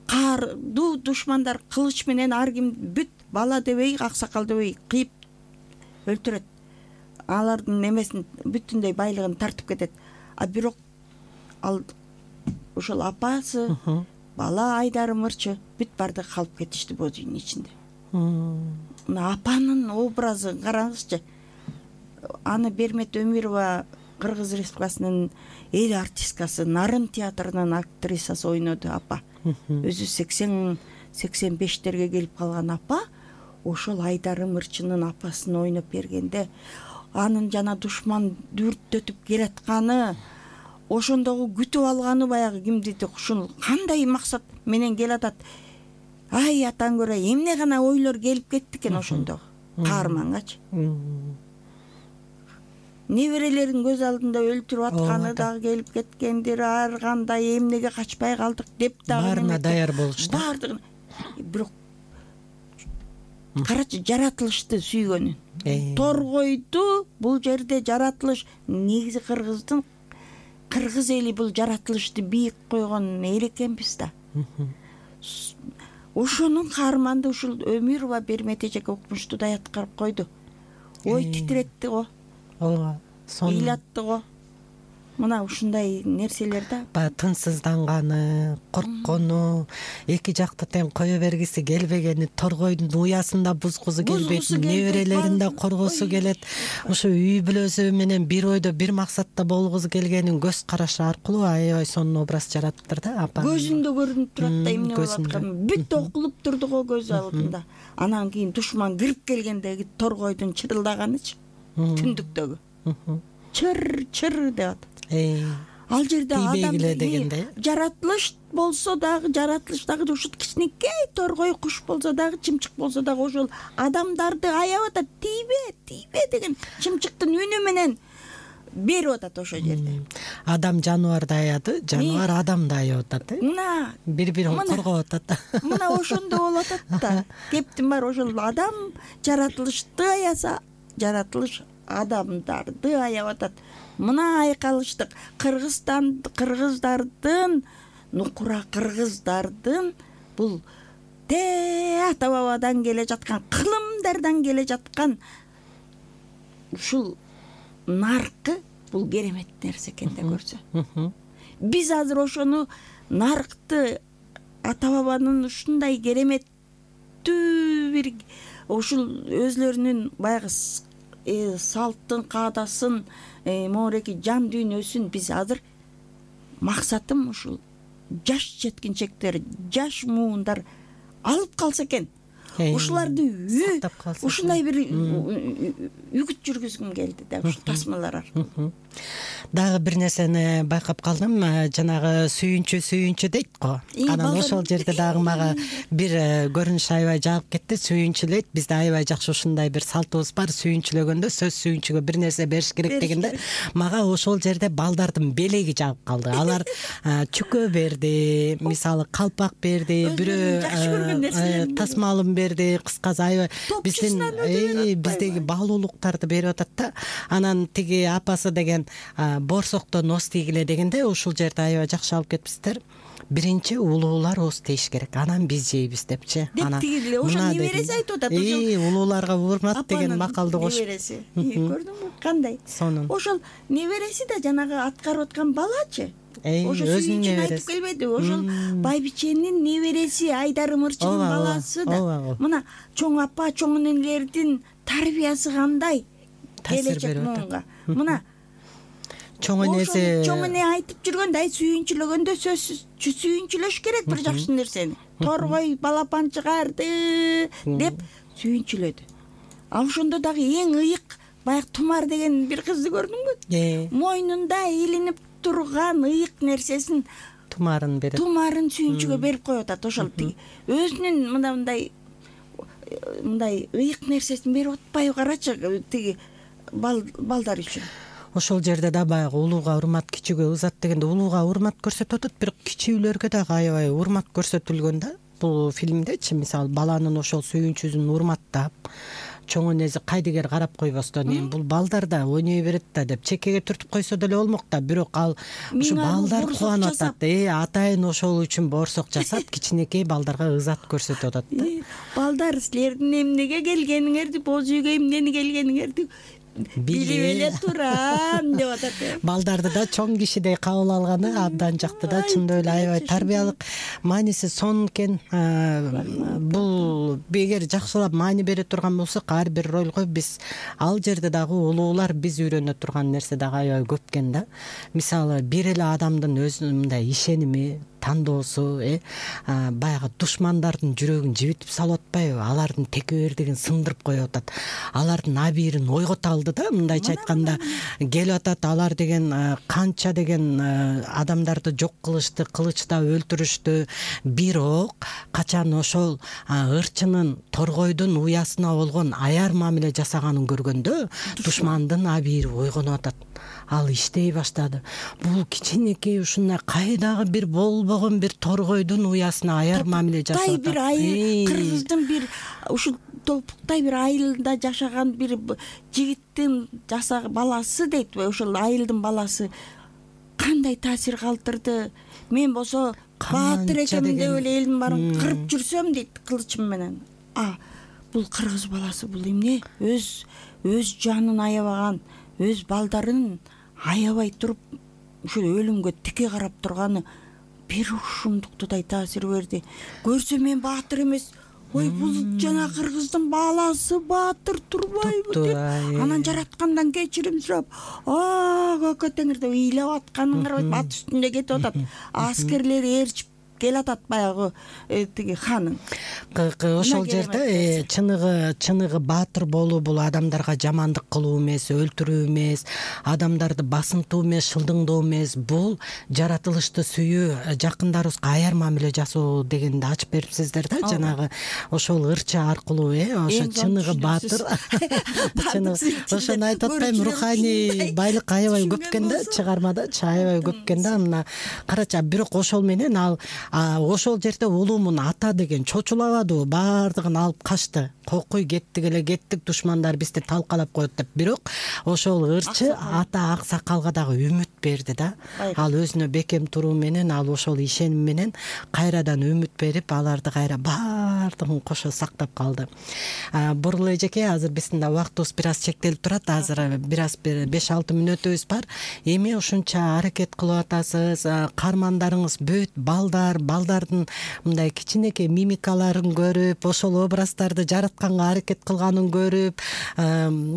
E: каардуу душмандар кылыч менен ар ким бүт бала дебей, аксакал дебей кыйып өлтүрөт. Алардын немесин бүтүндөй байлыгын тартып кетет. Бирок ал ошол апасы, бала Айдарым ырчы бүт барды калып кетишти боз үйдүн ичинде. Мына апанын образын караңызчы. аны Бермет Өмүрова Кыргыз Республикасынын эл артисткасы, Нарын театрынын актрисасы ойноду апа. Өзү 80-85-терге келип калган апа. Ошол Айдар Ымырчынын апасын ойноп бергенде анын жана душман дүрттөтүп келатканы, ошондогу күтүп алганы баягы кимдиди ушул кандай максат менен келатат. Ай атаң көрө эмне гана ойлор келип кетти экен ошондогу каармангачы. Неберелерин көз алдында өлтүрүп атканы дагы келип кеткендир. Ар кандай эмнеге качпай калдык деп дагы
D: баарына даяр болушту.
E: Баардыгын. Бирок карачы жаратылышты сүйгөнүн. Торгойду бул жерде жаратылыш негизи кыргыз эли бул жаратылышты бийик койгон эл экенбиз да. Ошонун каарманды ушул Өмүрова Бермет эжеке укмуштуу да аткарып койду. Ой титиретти го.
D: Ооба.
E: Ыйлатты го. Мына ушундай нерселер да.
D: Баягы тынчсызданганы, корккону, эки жакты тең кое бергиси келбегени, торгойдун уясында бузгусу келбейт, неберелерин да коргосу келет. Ушу үй бүлөсү менен бир ойдо, бир максатта болгусу келгенин көз карашы аркылуу аябай сонун образ жараттыр да апа.
E: Көзүндө көрүнүп турат да эмне болуп атканы. Бүт окулуп турду го көз алдында. Анан кийин душман кирип келгендеги торгойдун чырылдаганычы түндүктөгү. Чыр деп атат. Ал жерде адам жаратылыш болсо дагы, жаратылыш дагы ушул кичинекей торгой куш болсо дагы, чымчык болсо дагы ошол адамдарды аябай атат. Тийбе деген чымчыктын үнү менен берип атат ошол жерде.
D: Адам жаныбарды аяды, жаныбар адамды аябап атат.
E: Мына
D: бири-бирин коргоп атат.
E: Мына ошондо болуп атат да. Кептин баары ошол адам жаратылышты аяса, жаратылыш адамдарды аябап атат. Мына айкалыштык кыргыздардын, нукура кыргыздардын бул ата бабадан келе жаткан, кылымдардан келе жаткан ушул наркы бул керемет нерсе экен да көрсө. Биз азыр ошону наркты ата бабанын ушундай кереметтүү бир ушул өзлөрүнүн баягы салттын, каадасын, моореки жан дүйнөсүн биз азыр максатым ушул жаш жеткинчектер, жаш муундар алып калса экен. Ушуларды ушундай бир үгүт жүргүзгүм келди да ушул тасмалар аркылуу.
D: Дагы бир нерсени байкап калдым, жанагы сүйүнчү дейт го. Анан ошол жерде дагы мага бир көрүнүш аябай жагып кетти. Сүйүнчүлөйт. Бизде аябай жакшы ушундай бир салтыбыз бар. Сүйүнчүлөгөндө сөз сүйүнчүгө бир нерсе бериш керек дегенде, мага ошол жерде балдардын белеги жагып калды. Алар чүкө берди, мисалы калпак берди, бирөө тасмалын берди, кыскасы аябай биздеги баалуулуктарды берип атат да. Анан тиги апасы деген борсоктон ос тийгиле дегенде ушул жерде аябай жакшы алып кетипсиздер. Биринчи улуулар ос тийиш керек, анан биз жейбиз депчи.
E: Анан тигиле ошо небереси айтып атат.
D: Улууларга урмат деген макалды кошуп.
E: Небереси. Көрдүңбү кандай? Ошол небереси да жанагы аткарып аткан балачы. Ошо сүйүнчүн айтып келбеди. Ошол байбиченин небереси, Айдар Ымырчынын баласы да. Мына чоң апа, чоң энелердин тарбиясы кандай келечек муунга. Мына
D: чоң эне
E: айтып жүргөндө, сүйүнчүлөгөндө сөзсүз сүйүнчүлөш керек бир жакшы нерсени. Торгой балапан чыгарды деп сүйүнчүлөдү. А ошондо дагы эң ыйык баягы Тумар деген бир кызды көрдүңбү? Мойнунда илинип турган ыйык нерсесин
D: Тумарын берет.
E: Тумарын сүйүнчүгө берип коюп атат. Ошол тиги өзүнүн мындай ыйык нерсесин берип атпайбы, карачы тиги балдар үчүн.
D: Ошол жерде да баягы улууга урмат, кичүүгө ызат дегенде улууга урмат көрсөтүп атат, бирок кичүүлөргө дагы аябай урмат көрсөтүлгөн да. Бул фильмдечи мисалы баланын ошол сүйүнчүсүн урматтап, чоң энеси кайдыгер карап койбостон, эми бул балдар да ойной берет да деп чекеге түртүп койсо деле болмок да, бирок ал ушу балдар кубанып атат. Атайын ошол үчүн борсок жасап, кичинекей балдарга ызат көрсөтүп атат да.
E: Балдар, силердин эмнеге келгениңерди, боз үйгө эмнени келгениңерди билип эле турам деп атат.
D: Балдарды да чоң кишидей кабыл алганы абдан жакты да, чындап эле аябай тарбиялык мааниси сонун экен. Бул эгер жакшылап маани бере турган болсок, ар бир ролго биз ал жерде дагы улуулар биз үйрөнө турган нерсе дагы аябай көп экен да. Мисалы бир эле адамдын өзүнүн мындай ишеними, тандоосу, баягы душмандардын жүрөгүн жибитип салып атпайбы? Алардын текебердигин сындырып коюп атат. Алардын абийирин ойгото алды да, мындайча айтканда келип атат. Алар деген канча деген адамдарды жок кылышты, кылычта өлтүрүштү. Бирок качан ошол ырчынын, торгойдун уясына болгон аяр мамиле жасаганын көргөндө душмандын абийири ойгонуп атат. Ал иштей баштады. Бул кичинекей ушундай кайдагы бир болбогон бир торгойдун уясына аяр мамиле жасап атат.
E: Бир кыргыздын бир ушул топуктай бир айылда жашаган бир жигиттин баласы дейт, ошол айылдын баласы кандай таасир калтырды. Мен болсо баатыр экенмин деп эле элдин баарын кырып жүрсөм дейт кылычым менен. Бул кыргыз баласы, бул эмне? Өз жанын аябаган, өз балдарын аябай туруп ушул өлүмгө тике карап турганы бир ушундуктудай таасир берди. Көрсөм мен баатыр эмес, ой бул жана кыргыздын баласы баатыр турбайбы деп анан жараткандан кечирим сурап, көкө теңир деп ыйлап атканын карабайт, ат үстүндө кетип атат. Аскерлери ээрчип келатат баягы тиги ханын.
D: Ошол жерде чыныгы баатыр болуу бул адамдарга жамандык кылуу эмес, өлтүрүү эмес, адамдарды басынтуу эмес, шылдыңдоо эмес. Бул жаратылышты сүйүү, жакындарыбызга аяр мамиле жасоо дегенди ачып берипсиздер да. Жанагы ошол ырчы аркылуу, ошо чыныгы баатыр. Ошону айтып атпайм, руханий байлык аябай көп экен да, чыгармада аябай көп экен да. Мына карачы, бирок ошол менен ал ошол жерде улуумун ата деген чочулабадыбы, баардыгын алып качты. Кокуй кеттик эле кеттик, душмандар бизди талкалап коет деп. Бирок ошол ырчы ата аксакалга дагы үмүт берди да. Ал өзүнө бекем туруу менен, ал ошол ишеним менен кайрадан үмүт берип, аларды кайра баардыгын кошо сактап калды. Бурул эжеке, азыр биздин да убактыбыз бир аз чектелип турат. Азыр бир аз 5-6 мүнөтүбүз бар. Эми ушунча аракет кылып атасыз, каармандарыңыз бүт балдардын мындай кичинекей мимикаларын көрүп, ошол образдарды жаратканга аракет кылганын көрүп,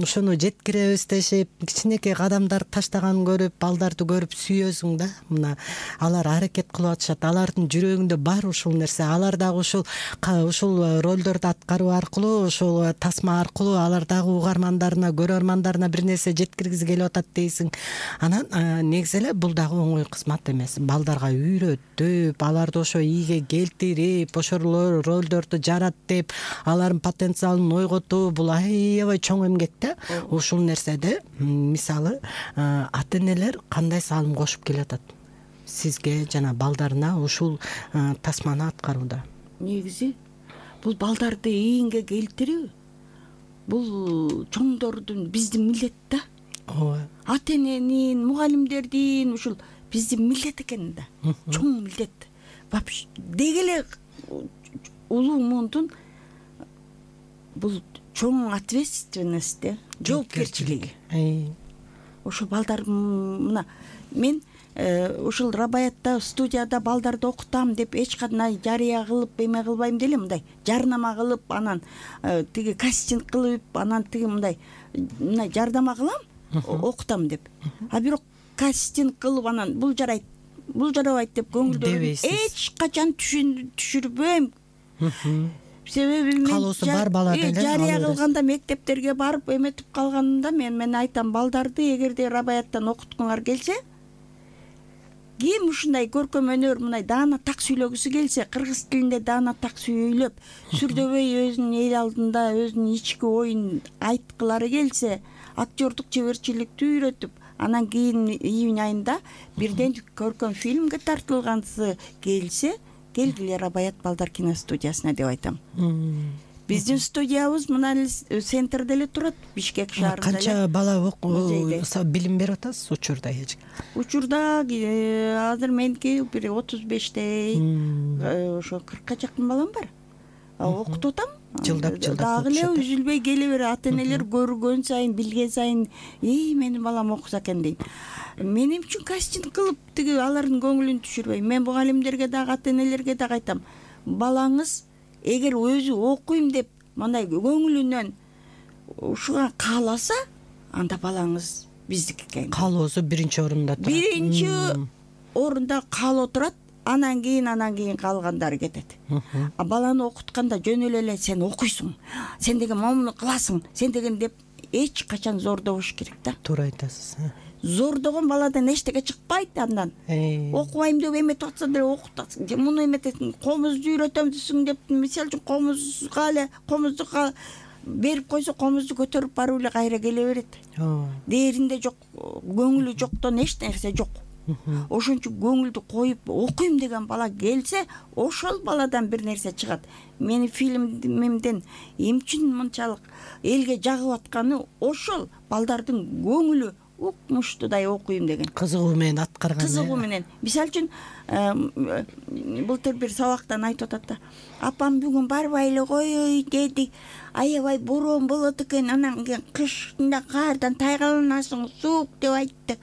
D: ошону жеткиребиз дешип, кичинекей кадамдар таштаганын көрүп, балдарды көрүп сүйөсүң да. Мына алар аракет кылып атышат, алардын жүрөгүндө бар ушул нерсе. Алар дагы ушул ролдорду аткаруу аркылуу, ошол тасма аркылуу алар дагы угармандарына, көрөрмандарына бир нерсе жеткиргизи келип атат дейсиң. Анан негизи эле бул дагы оңой кызмат эмес. Балдарга үйрөтүп, аларды ошо ийге келтирип, ошол ролдорду жараттып, алардын потенциалын ойготуу, бул аябай чоң эмгек да. Ушул нерседе мисалы ата энелер кандай салым кошуп келатат сизге жана балдарына ушул тасманы аткарууда?
E: Негизи бул балдарды ийинге келтирүү бул чоңдордун, биздин милдет да. Ата эненин, мугалимдердин ушул биздин милдет экен да. Чоң милдет. Деги эле улуумундун бул чоң ответственность, жоопкерчилиги. Ошо балдар мына мен ушул Рабаятта студияда балдарды окутам деп эч кандай жарыя кылып эме кылбайм деле, мындай жарнама кылып, анан тиги кастинг кылып, анан тиги мындай жардама кылам, окутам деп. Бирок кастинг кылып анан бул жарайт, бул жарабайт деп көңүлдөрүн эч качан түшүрбөйм. Себеби мен
D: калоосу бар бала деле
E: жарыя кылганда мектептерге барып эметип калганда мен айтам, балдарды эгерде Рабаяттан окуткуңар келсе, ким ушундай көркөм өнөр мындай даана так сүйлөгүсү келсе, кыргыз тилинде даана так сүйлөп, сүрдөбөй өзүнүн эл алдында өзүнүн ички оюн айткылары келсе, актёрдук чеберчиликти үйрөтүп, анан кийин июнь айында бирден көркөм фильмге тартылгансы келсе, келгиле Рабаят балдар киностудиясына деп айтам. Биздин студиябыз мына центрде эле турат, Бишкек шаарында.
D: Канча бала билим берип атасыз учурда?
E: Учурда азыр меники бир 35дей, ошо 40ка жакын балам бар. Окутуп атам.
D: жылдап
E: дагы эле
D: окушат.
E: үзүлбөй келе берет. Ата энелер көргөн сайын, билген сайын, менин балам окуса экен дейт. Менин үчүн кастинг кылып тиги алардын көңүлүн түшүрбөйм. Мен мугалимдерге дагы, ата энелерге дагы айтам. Балаңыз эгер өзү окуйм деп мындай көңүлүнөн ушуга кааласа, анда балаңыз биздики экен.
D: Каалоосу биринчи орунда турат.
E: Биринчи орунда каалоо турат, анан кийин калгандары кетет. А баланы окутканда жөн эле сен окуйсуң, сен деген момуну кыласың, сен деген деп эч качан зордобош керек да.
D: Туура айтасыз.
E: Зордогон баладан эчтеке чыкпайт андан. Окубайм деп эметип атса деле окутасың. Муну эметесиң, комузду үйрөтөм десиң деп, мисалы үчүн комузду берип койсо, комузду көтөрүп барып эле кайра келе берет. Дээринде жок, көңүлү жоктон эч нерсе жок. Ошон үчүн көңүлдү коюп окуйм деген бала келсе, ошол баладан бир нерсе чыгат. Менин фильмимден эмчин мынчалык элге жагып атканы ошол балдардын көңүлү укмуштудай окуйм деген.
D: Кызыгуу менен аткарган.
E: Кызыгуу менен. Мисалы үчүн былтыр бир сабактан айтып атат да. Апам бүгүн барбай эле кой деди. Аябай бороон болот экен, анан кышында каардан тайгаланасың, суук деп айтты.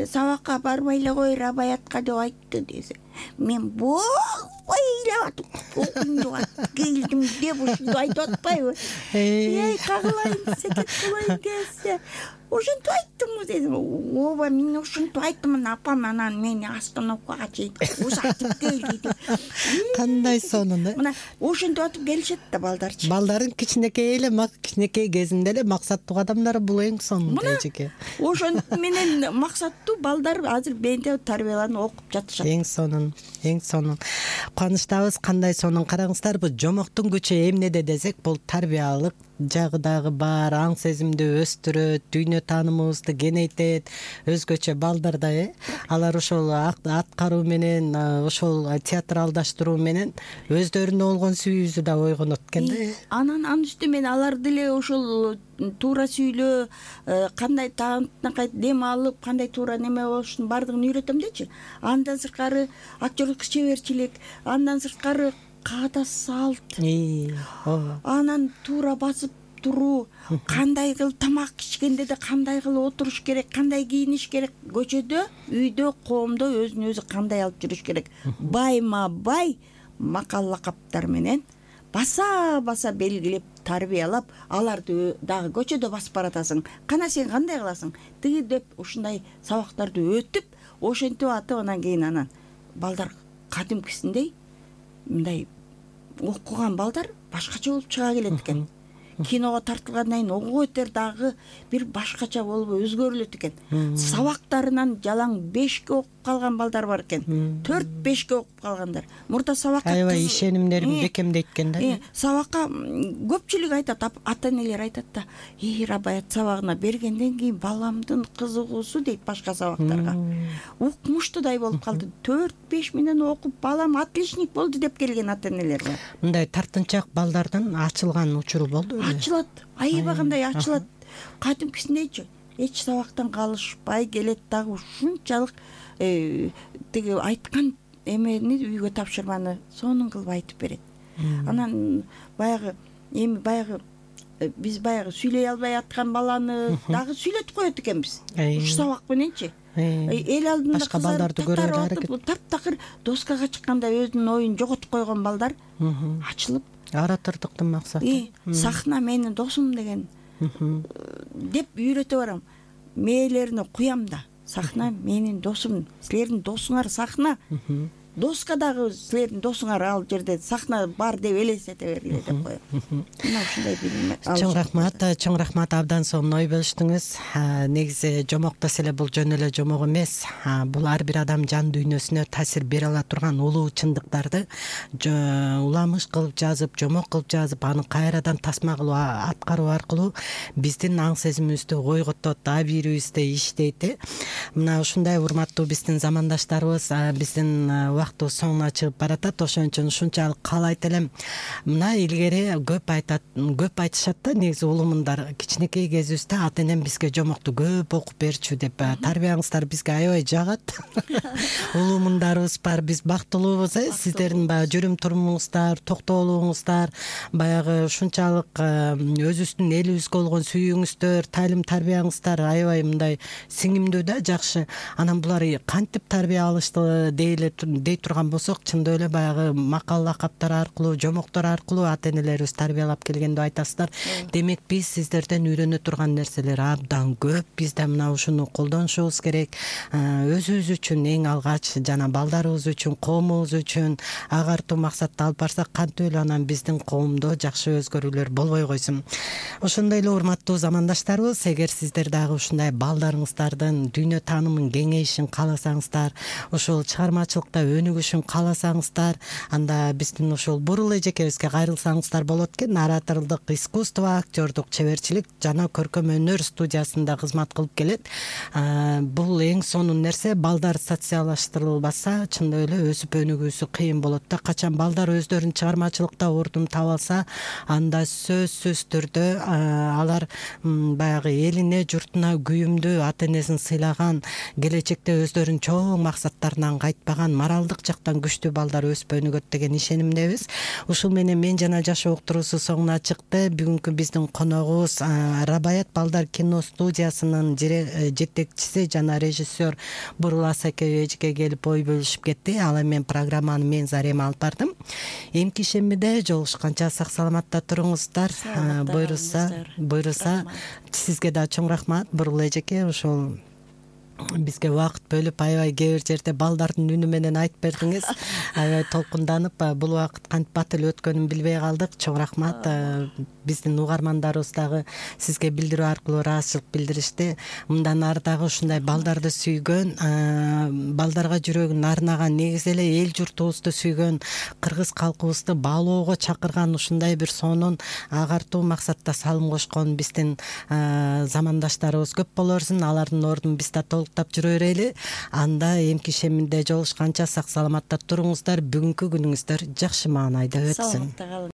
E: Сабакка барбай эле кой, рабаятка деп айтты десе. Мен болбой эле окуйм деп келдим деп ушунду айтып атпайбы? Кагылайын, секет кылайын десе. Ошентип айттымбы дедим. Ооба, мен ошентип айттым, апам анан мени остановкага чейин узатып келди.
D: Кандай сонун да.
E: Мына ошентип атып келишет да балдарчы.
D: Балдардын кичинекей кезинде эле максаттуу адамдар бул эң сонун эжеке.
E: Ошон менен максаттуу балдар азыр менде тарбияланып окуп жатышат.
D: Эң сонун. Кубанычтабыз. Кандай сонун. Караңыздар, бул жомоктун күчү эмнеде десек, бул тарбиялык жагы дагы бар, аң сезимди өстүрөт, дүйнө таанымыбызды кеңейтет. Өзгөчө балдарда алар ошол аткаруу менен, ошол театралдаштыруу менен өздөрүнө болгон сүйүүсү да ойгонот экен да. Анан
E: үстүнөн алар деле ошол туура сүйлөө, кандай тааныкай дем алып, кандай туура неме болушун бардыгын үйрөтөм дечи. Андан сырткары актерлук чеберчилик, андан сырткары каада салт, анан туура басып туруу, кандай кылып тамак ичкенде да кандай кылып отуруш керек, кандай кийиниш керек, көчөдө, үйдө, коомдо өзүн өзү кандай алып жүрүш керек. Байма бай макал лакаптар менен баса белгилеп, тарбиялап, аларды дагы көчөдө басып баратасың. Кана сен кандай кыласың? Тиги деп ушундай сабактарды өтүп, ошентип атып, анан кийин балдар кадимкисиндей мындай окуган балдар башкача болуп чыга келет экен. Киного тартылгандан кийин окуп өтөр дагы бир башкача болуп өзгөрүлөт экен. Сабактарынан жалаң 5ке окуп калган балдар бар экен. 4-5ке окуп калгандар. Мурда сабакка
D: аябай ишенимдерин бекемдейт экен да.
E: Сабакка көпчүлүк айтат, ата-энелер айтат да, рабаят сабагына бергенден кийин баламдын кызыгуусу дейт башка сабактарга. Укмуштудай болуп калды. 4-5 менен окуп балам отличник болду деп келген ата-энелер бар.
D: Мындай тартынчаак балдардан ачылган учуру болду.
E: Ачылат, аябагандай ачылат. Кадимкисиндейчи, эч сабактан калышпай келет дагы ушунчалык тиги айткан эмени үйгө тапшырманы сонун кылып айтып берет. Анан биз баягы сүйлөй албай аткан баланы дагы сүйлөтүп коет экенбиз. Ушу сабак мененчи. Эл алдында
D: башка балдарды көрөргө аракет.
E: Таптакыр доскага чыкканда өзүнүн оюн жоготуп койгон балдар ачылып,
D: оратордуктун максаты
E: сахна менин досум деген деп үйрөтө барам. Мээлерине куям да. Сахна менин досум, силердин досуңар сахна. Доска дагы силердин досуңар ал жерде сахна бар деп элестете бергиле деп коем. Мына ушундай билим.
D: Чоң рахмат, абдан сонун ой бөлүштүңүз. Негизи жомоктос эле бул жөн эле жомок эмес. Бул ар бир адам жан дүйнөсүнө таасир бере ала турган улуу чындыктарды уламыш кылып жазып, жомок кылып жазып, аны кайрадан тасма кылып аткаруу аркылуу биздин аң сезимибизди ойготот, абийирибизде иштейт. Мына ушундай урматтуу биздин замандаштарыбыз, биздин убактыбыз соңуна чыгып баратат. Ошон үчүн ушунчалык каалайт элем. Мына илгери көп айтышат да, негизи улумундар кичинекей кезибизде ата энем бизге жомокту көп окуп берчү деп, тарбияңыздар бизге аябай жагат. Улумундарыбыз бар, биз бактылуубуз, сиздердин баягы жүрүм турумуңуздар, токтоолугуңуздар, баягы ушунчалык өзүбүздүн элибизге болгон сүйүүңүздөр, тайылым тарбияңыздар аябай мындай сиңимдүү да, жакшы. Анан булар кантип тарбия алышты дей турган болсок, чындап эле баягы макал лакаптар аркылуу, жомоктор аркылуу ата энелерибиз тарбиялап келген деп айтасыздар. Демек биз сиздерден үйрөнө турган нерселер абдан көп. Биз да мына ушуну колдонушубуз керек. Өзүбүз үчүн эң алгач жана балдарыбыз үчүн, коомубуз үчүн агартуу максатта алып барсак, кантип эле анан биздин коомдо жакшы өзгөрүүлөр болбой койсун. Ошондой эле урматтуу замандаштарыбыз, эгер сиздер дагы ушундай балдарыңыздардын дүйнө таанымын кеңейишин кааласаңыздар, ушул чыгармачылыкта өнүгүшүн кааласаңыздар, анда биздин ушул Бурул эжекебизге кайрылсаңыздар болот экен. Ораторлук искусство, актёрдук чеберчилик жана көркөм өнөр студиясында кызмат кылып келет. Бул эң сонун нерсе. Балдар социалдаштырылбаса, чындап эле өсүп өнүгүүсү кыйын болот да. Качан балдар өздөрүн чыгармачылыкта ордун таба алса, анда сөзсүз түрдө алар баягы элине, журтуна күйүмдүү, ата энесин сыйлаган, келечекте өздөрүнүн чоң максаттарынан кайтпаган, моралдык жактан күчтүү балдар өсүп өнүгөт деген ишенимдебиз. Ушул менен мен жана жашоо уктуруусу соңуна чыкты. Бүгүнкү биздин коногубуз Рабаят балдар кино студиясынын жетекчиси жана режиссер Бурул эжеке келип ой бөлүшүп кетти. Ал эми программаны мен Зарема алып бардым. Эмки шембиде жолугушканча сак саламатта туруңуздар. Буйруса сизге да чоң рахмат Бурул эжеке. Ошол бизге убакыт бөлүп аябай кээ бир жерде балдардын үнү менен айтып бердиңиз. Аябай толкунданып, бул убакыт кантип батыл өткөнүн билбей калдык. Чоң рахмат. Биздин угармандарыбыз дагы сизге билдирүү аркылуу ыраазычылык билдиришти. Мындан ары дагы ушундай балдарды сүйгөн, балдарга жүрөгүн арнаган, негизи эле эл журтубузду сүйгөн, кыргыз калкыбызды баалоого чакырган ушундай бир сонун агартуу максатта салым кошкон биздин замандаштарыбыз көп боло берсин. Алардын ордун биз да толуктап жүрө берели. Анда эмки шеминде жолугушканча сак саламатта туруңуздар. Бүгүнкү күнүңүздөр жакшы маанайда өтсүн.